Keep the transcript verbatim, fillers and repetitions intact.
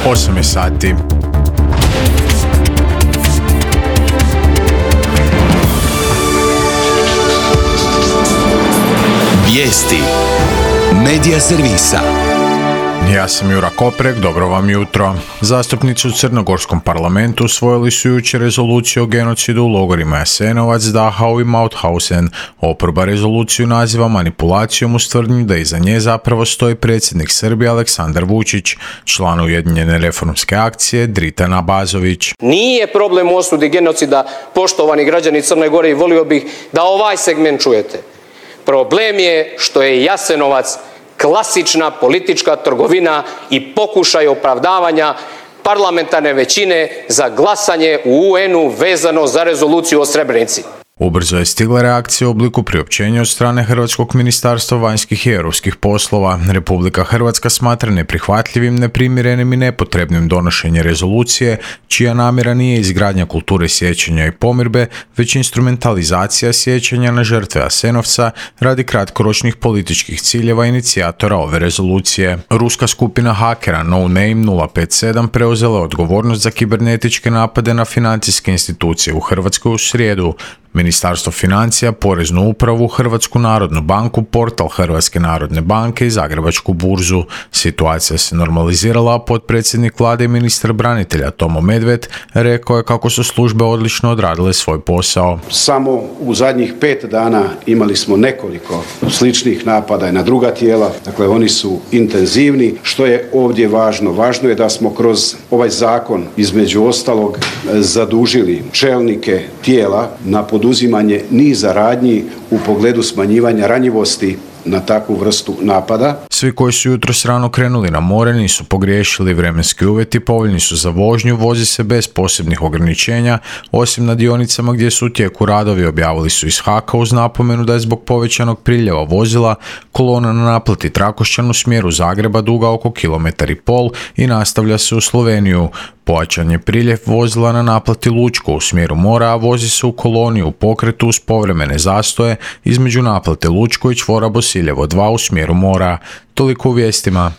osam je sati. Vijesti Medija servisa. Ja sam Jura Koprek, dobro vam jutro. Zastupnici u Crnogorskom parlamentu usvojili su jučer rezoluciju o genocidu u logorima Jasenovac, Dachau i Mauthausen. Oporba rezoluciju naziva manipulacijom uz tvrdnju da iza nje zapravo stoji predsjednik Srbije Aleksandar Vučić, član Ujedinjene reformske akcije Dritan Abazović. Nije problem u osudi genocida, poštovani građani Crne Gore, i volio bih da ovaj segment čujete. Problem je što je Jasenovac klasična politička trgovina i pokušaj opravdavanja parlamentarne većine za glasanje u U N-u vezano za rezoluciju o Srebrenici. Ubrzo je stigla reakcija u obliku priopćenja od strane Hrvatskog ministarstva vanjskih i europskih poslova. Republika Hrvatska smatra neprihvatljivim, neprimjerenim i nepotrebnim donošenje rezolucije, čija namjera nije izgradnja kulture sjećanja i pomirbe, već instrumentalizacija sjećanja na žrtve Jasenovca radi kratkoročnih političkih ciljeva inicijatora ove rezolucije. Ruska skupina hakera No Name nula pet sedam preuzela je odgovornost za kibernetičke napade na financijske institucije u Hrvatskoj u srijedu. Ministarstvo financija, Poreznu upravu, Hrvatsku narodnu banku, portal Hrvatske narodne banke i Zagrebačku burzu. Situacija se normalizirala, a potpredsjednik vlade i ministar branitelja Tomo Medved rekao je kako su službe odlično odradile svoj posao. Samo u zadnjih pet dana imali smo nekoliko sličnih napada i na druga tijela, dakle oni su intenzivni. Što je ovdje važno? Važno je da smo kroz ovaj zakon između ostalog zadužili čelnike tijela na poduzimanje niza radnji u pogledu smanjivanja ranjivosti na takvu vrstu napada. Svi koji su jutros rano krenuli na more nisu pogriješili, vremenski uvjeti povoljni su za vožnju, vozi se bez posebnih ograničenja, osim na dionicama gdje su u tijeku radovi, objavili su iz Haka uz napomenu da je zbog povećanog priljeva vozila kolona na naplati Trakošćan u smjeru Zagreba duga oko kilometar i pol i nastavlja se u Sloveniju. Pojačan je priljev vozila na naplati Lučko u smjeru mora, a vozi se u koloni u pokretu uz povremene zastoje između naplate Lučko i čvora Bosiljevo dva u smjeru mora. Toliko u vijestima.